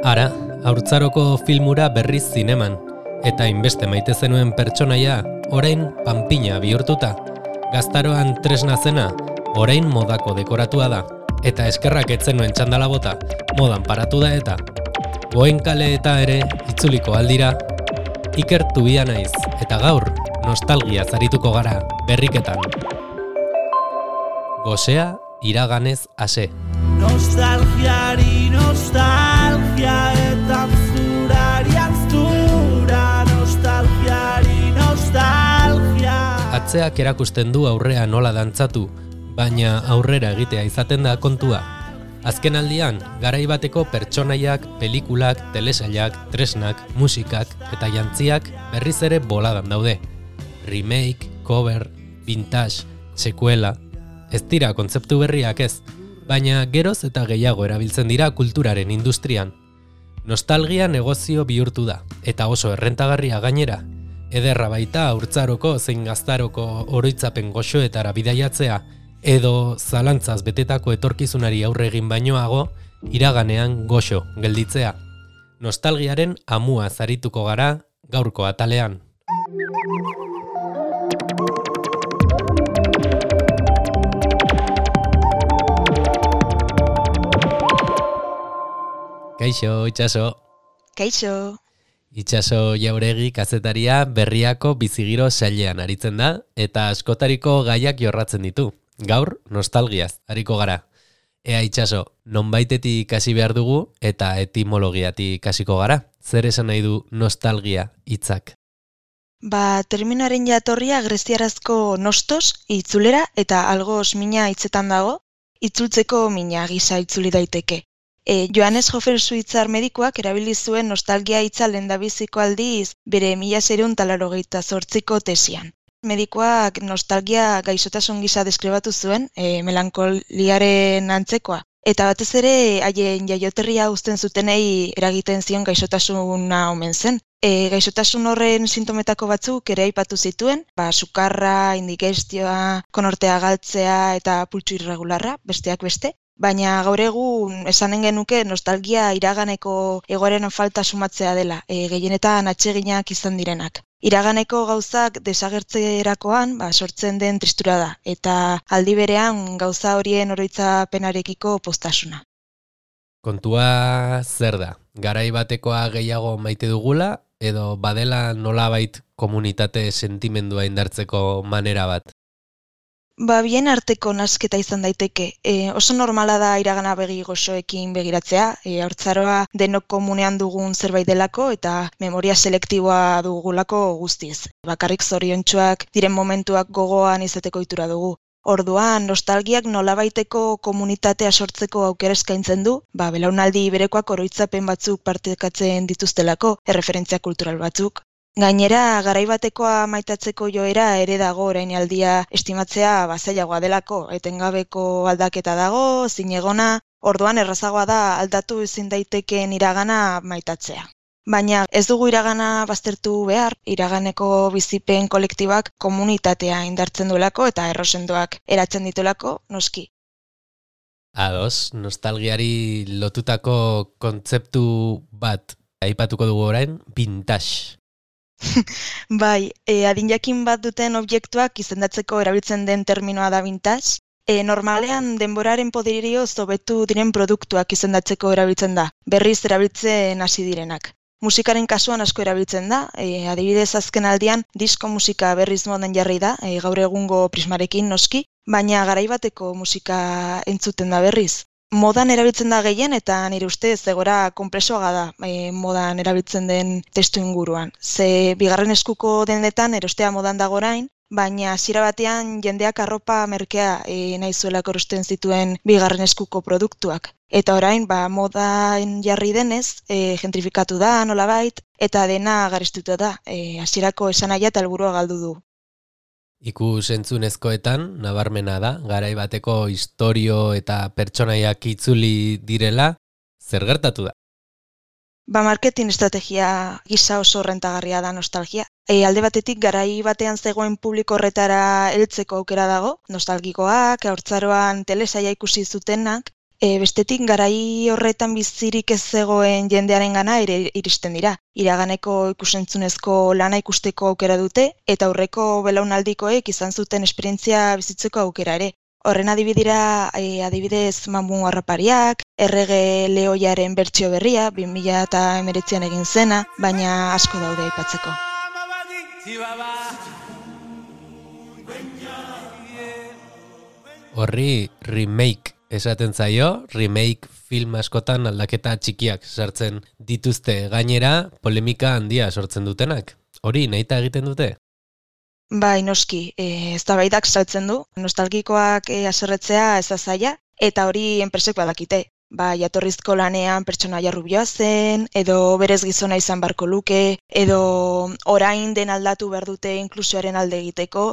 Ara, haurtzaroko filmura berriz zineman, eta inbeste maite zenuen pertsonaia, orain panpina bihurtuta. Gaztaroan tresna zena, orain modako dekoratua da, eta eskerrak etzenuen txandala bota, modan paratu da eta. Goen kale eta ere, itzuliko aldira, ikertu bia naiz, eta gaur, nostalgia zarituko gara, berriketan. Gosea, iraganez ase. Nostalgiari nostalgia eta zurari anztura, nostalgiari nostalgia. Atzeak erakusten du aurrea nola dantzatu, baina aurrera egitea izaten da kontua. Azken aldian, garai bateko pertsonaiak, pelikulak, telesailak, tresnak, musikak eta jantziak berriz ere boladan daude. Remake, cover, vintage, sekuela, ez dira kontzeptu berriak ez, baina geroz eta gehiago erabiltzen dira kulturaren industrian. Nostalgia negozio bihurtu da, eta oso errentagarria gainera. Ederra baita haurtzaroko zein gaztaroko oroitzapen goxoetara bidaiatzea, edo zalantzaz betetako etorkizunari aurre egin bainoago, iraganean goxo gelditzea. Nostalgiaren amua zarituko gara gaurko atalean. Kaixo, Itxaso. Kaixo. Itxaso Jauregi kazetaria Berriako bizigiro sailean aritzen da, eta askotariko gaiak jorratzen ditu. Gaur, nostalgiaz, ariko gara. Ea Itxaso, nonbaitetik hasi behar dugu eta etimologiatik hasiko gara. Zer esan nahi du nostalgia hitzak? Terminaren jatorria greziarazko nostos, itzulera, eta algos mina hitzetan dago, itzultzeko mina gisa itzuli daiteke. Johannes Hofer suitzar medikuak erabili zuen nostalgia hitza lehendabiziko aldiz bere 1988ko tesian. Medikuak nostalgia gaixotasun gisa deskribatu zuen, melankoliaren antzekoa. Eta batez ere haien jaioterria uzten zutenei eragiten zion gaixotasuna omen zen. Gaixotasun horren sintometako batzuk ere aipatu zituen, sukarra, indigestioa, konortea galtzea eta pultsu irregularra, besteak beste. Baina gaur egun esanen genuke nostalgia iraganeko egoeren falta sumatzea dela, gehienetan atseginak izan direnak. Iraganeko gauzak desagertzerakoan sortzen den tristura da, eta aldi berean gauza horien oroitzapenarekiko poztasuna. Kontua zer da? Garai batekoa gehiago maite dugula, edo badela nolabait komunitate sentimendua indartzeko manera bat? Bien arteko nasketa izan daiteke. Oso normala da iragana begi goxoekin begiratzea, haurtzaroa denok komunean dugun zerbait delako eta memoria selektiboa dugulako guztiz. Bakarrik zoriontsuak diren momentuak gogoan izateko ohitura dugu. Orduan, nostalgiak nolabaiteko komunitatea sortzeko aukera eskaintzen du, belaunaldi berekoak oroitzapen batzuk partekatzen dituztelako, erreferentzia kultural batzuk. Gainera, garai batekoa maitatzeko joera ere dago orainaldia estimatzea zailagoa delako, etengabeko aldaketa dago, zinegona, orduan errazagoa da aldatu ezin daitekeen iragana maitatzea. Baina ez dugu iragana baztertu behar, iraganeko bizipen kolektibak komunitatea indartzen duelako eta errosendoak eratzen ditulako, noski. Ados, nostalgiari lotutako kontzeptu bat aipatuko dugu orain, vintage. Adin jakin bat duten objektuak izendatzeko erabiltzen den terminoa da vintage. Normalean denboraren poderioz hobetu diren produktuak izendatzeko erabiltzen da, berriz erabiltzen hasi direnak. Musikaren kasuan asko erabiltzen da, adibidez azken aldian disko musika berriz modan jarri da, gaur egungo prismarekin noski, baina garai bateko musika entzuten da berriz. Modan erabiltzen da gehien eta nire ustez egora konplexoaga da modan erabiltzen den testu inguruan. Ze bigarren eskuko dendetan erostea modan dago orain, baina hasiera batean jendeak arropa merkea nahi zuelako erosten zituen bigarren eskuko produktuak. Eta orain modan jarri denez, gentrifikatu da nolabait eta dena garestitu da. Hasierako esanahia eta helburua galdu du. Ikus entzunezkoetan, nabarmena da, garai bateko istorio eta pertsonaiak itzuli direla, zer gertatu da? Marketing estrategia gisa oso rentagarria da nostalgia. Alde batetik garai batean zegoen publiko horretara heltzeko aukera dago, nostalgikoak, haurtzaroan telesaia ikusi zutenak, Bestetik, garai horretan bizirik ez zegoen jendearen gana ere iristen dira. Iraganeko ikusentzunezko lana ikusteko aukera dute, eta aurreko belaunaldikoek izan zuten esperientzia bizitzeko aukera ere. Horren adibidez Mamu Harrapariak, Errege Lehoiaren bertsio berria, 2019an egin zena, baina asko daude aipatzeko. Horri remake esaten zaio, remake film askotan aldaketa txikiak sartzen dituzte, gainera polemika handia sortzen dutenak. Hori nahita egiten dute? Bai, noski, eztabaidak saltzen du, nostalgikoak haserretzea ez da zaila, eta hori enpresek badakite. Jatorrizko lanean pertsonaia rubioa zen, edo berez gizona izan barko luke, edo orain den aldatu behar dute inklusioaren alde egiteko,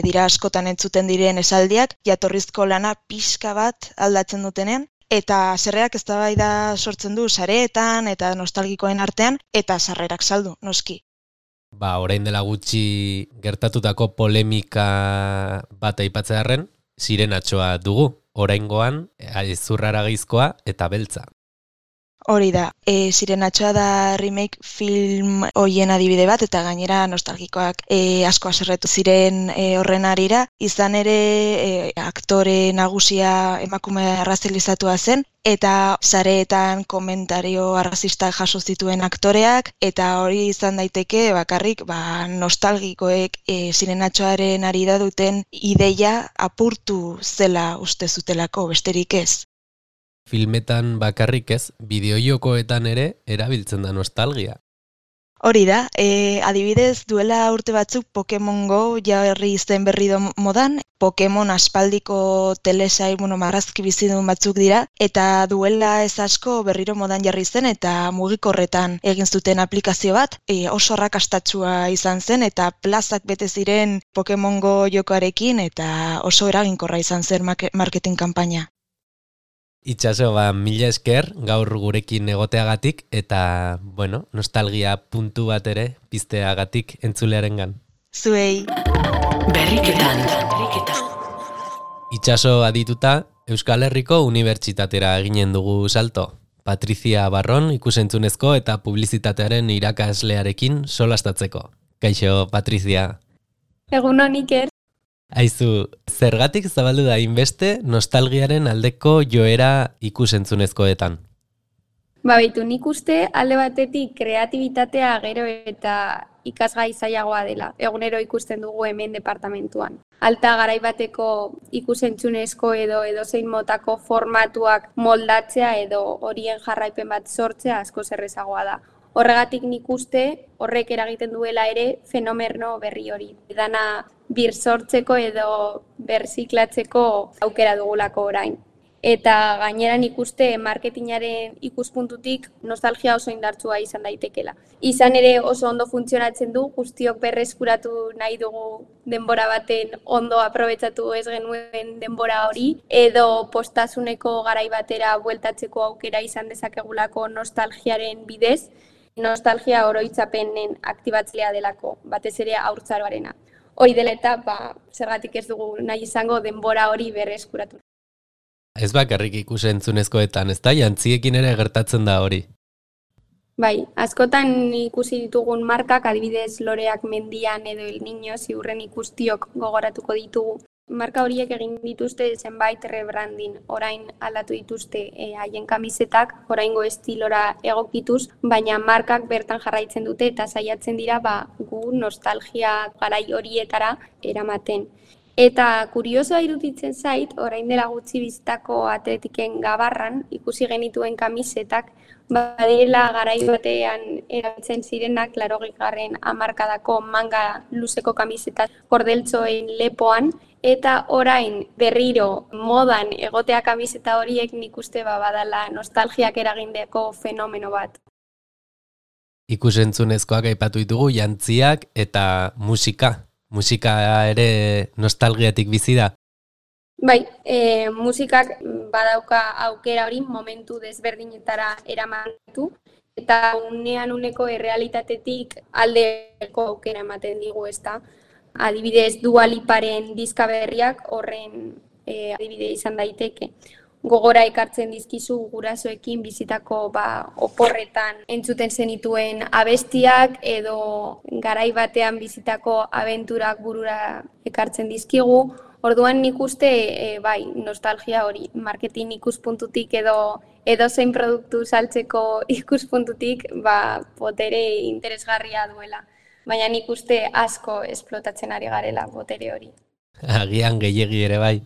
dira askotan entzuten diren esaldiak, jatorrizko lana pixka bat aldatzen dutenean, eta sarrerak eztabaida sortzen du sareetan eta nostalgikoen artean, eta sarrerak saldu, noski. Orain dela gutxi gertatutako polemika bat aipatzearren, Sirenatxoa dugu. Oraingoan, zurrara gehizkoa eta beltza. Hori da, Sirenatxoa da remake film hoien adibide bat, eta gainera nostalgikoak asko haserretu ziren horren harira. Izan ere, aktore nagusia emakume arrazilizatua zen, eta sareetan komentario arrazistak jaso zituen aktoreak, eta hori izan daiteke bakarrik nostalgikoek Sirenatxoaren ari da duten ideia apurtu zela uste zutelako, besterik ez. Filmetan bakarrik ez, bideojokoetan ere erabiltzen da nostalgia. Hori da, adibidez duela urte batzuk Pokemon Go jarri zen berri modan, Pokemon aspaldiko telesail marrazki bizidun batzuk dira, eta duela ez asko berriro modan jarri zen eta mugikorretan egin zuten aplikazio bat, oso arrakastatsua izan zen eta plazak bete ziren Pokemon Go jokoarekin eta oso eraginkorra izan zen marketing kanpaina. Itxaso, mila esker gaur gurekin egoteagatik eta, nostalgia puntu bat ere pizteagatik entzulearengan. Zuei. Berriketan. Itxaso adituta, Euskal Herriko Unibertsitatera eginen dugu salto. Patrizia Barron ikusentzunezko eta publizitatearen irakaslearekin solastatzeko. Kaixo, Patrizia. Egun hon, Iker. Aizu, zergatik zabaldu da inbeste nostalgiaren aldeko joera ikusentzunezkoetan? Nik uste alde batetik kreatibitatea gero eta ikasgai zailagoa dela. Egunero ikusten dugu hemen departamentuan. Alta garaibateko ikusentzunezko edo edozein motako formatuak moldatzea edo horien jarraipen bat sortzea asko errazagoa da. Horregatik nik uste horrek eragiten duela ere fenomeno berri hori. Dana bir sortzeko edo berziklatzeko aukera dugulako orain. Eta gainera nik uste marketingaren ikuspuntutik nostalgia oso indartsua izan daitekela. Izan ere oso ondo funtzionatzen du, guztiok berreskuratu nahi dugu denbora baten ondo aprobetxatu ez genuen denbora hori, edo postasuneko garai batera bueltatzeko aukera izan dezakegulako nostalgiaren bidez, nostalgia oroitzapenen aktibatzea delako, batez ere haurtzaroarena. Hori dela eta, zergatik ez dugu nahi izango denbora hori berreskuratu. Ez bakarrik ikusentzunezkoetan, ez da, jantziekin ere gertatzen da hori. Bai, askotan ikusi ditugun markak, adibidez Loreak mendian edo El Niño ziurren ikustiok gogoratuko ditugu. Marka horiek egin dituzte zenbait rebranding, orain aldatu dituzte haien kamisetak, oraingo estilora egokituz, baina markak bertan jarraitzen dute eta saiatzen dira gu nostalgia garai horietara eramaten. Eta kuriosoa iruditzen zait, orain dela gutxi bizitako Atletiken Gabarran ikusi genituen kamisetak, badirela garai batean erabiltzen zirenak 80. hamarkadako manga luzeko kamisetak kordeltxoen lepoan, eta orain berriro modan egotea kamiseta horiek nik uste badala nostalgiak eragindeko fenomeno bat. Ikusentzunezkoak aipatu ditugu jantziak eta musika. Musika ere nostalgiatik bizi da? Bai, musikak badauka aukera hori momentu desberdinetara eramatu, eta uneko errealitatetik aldeko aukera ematen digu ezta. Adibidez, Dua Liparen diska berriak horren adibide izan daiteke. gogora ekartzen dizkizu gurasoekin bizitako oporretan entzuten zenituen abestiak edo garai batean bizitako abenturak burura ekartzen dizkigu. Orduan nik uste nostalgia hori marketing ikuspuntutik edo zein produktu saltzeko ikuspuntutik botere interesgarria duela. Baina nik uste asko esplotatzen ari garela botere hori. Agian gehiegi ere bai.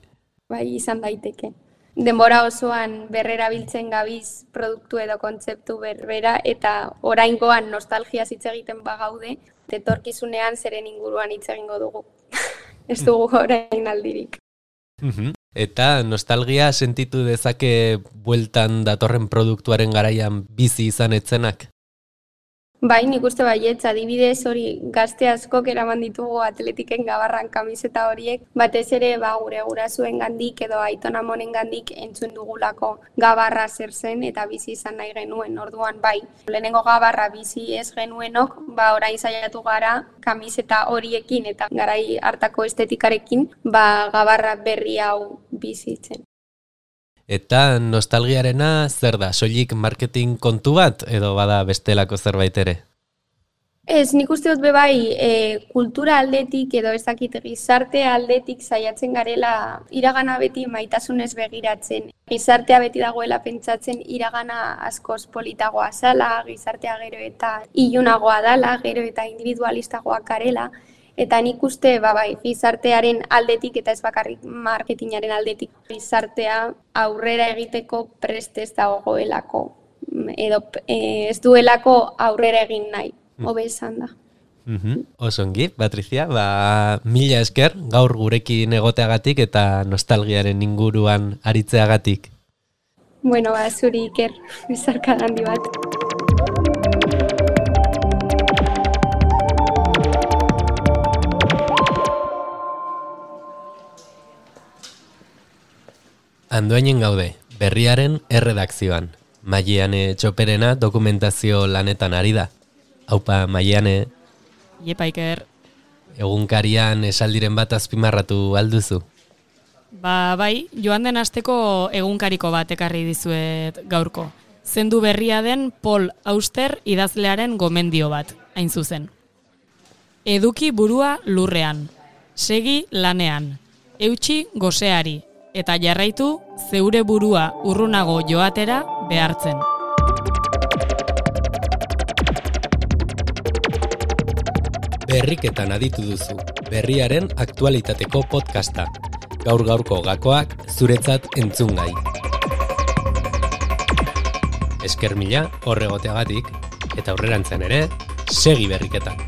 Bai, izan daiteke. Denbora osoan berrerabiltzen gabiz produktu edo kontzeptu berbera eta oraingoan nostalgia hitz egiten bagaude, etorkizunean zeren inguruan hitz egingo dugu. Ez dugu orain aldirik. Eta nostalgia sentitu dezake bueltan datorren produktuaren garaian bizi izan etzenak? Bai, nik uste baietz, adibidez hori gazte askok eraman ditugu atletiken gabarran kamiseta horiek, batez ere gure gurasuen gandik edo aiton amonen gandik entzun dugulako gabarra zer zen eta bizi izan nahi genuen. Orduan bai, lehenengo gabarra bizi ez genuenok, orain saiatu gara kamiseta horiekin eta garai hartako estetikarekin gabarra berri hau bizitzen. Eta nostalgiarena zer da? Soilik marketing kontu bat edo bada bestelako zerbait ere? Ez, nik uste dut kultura aldetik edo ezakit gizarte aldetik saiatzen garela iragana beti maitasunez begiratzen. Gizartea beti dagoela pentsatzen iragana askoz politagoa zala, gizartea gero eta ilunagoa dala, gero eta individualistagoak garela. Eta nik uste, gizartearen aldetik eta ez bakarrik marketingaren aldetik gizartea aurrera egiteko prest ez dagoelako edo ez duelako aurrera egin nahi, hobe esan da. Osongi, Patricia, mila esker gaur gurekin egoteagatik eta nostalgiaren inguruan aritzeagatik. Bueno, zuri Iker, bizarka handi bat. Andoainen gaude, berriaren erredakzioan. Maiane Txoperena dokumentazio lanetan ari da. Aupa, Maiane. Iepa, Iker. Egunkarian esaldiren bat azpimarratu alduzu? Bai, joan den asteko egunkariko bat ekarri dizuet gaurko. Zendu berria den Paul Auster idazlearen gomendio bat, hain zuzen. Eduki burua lurrean, segi lanean, eutsi goseari, eta jarraitu zeure burua urrunago joatera behartzen. Berriketan aditu duzu, berriaren aktualitateko podcasta. Gaur-gaurko gakoak zuretzat entzungai. Esker mila horregoteagatik, eta aurrerantzen ere, segi berriketan.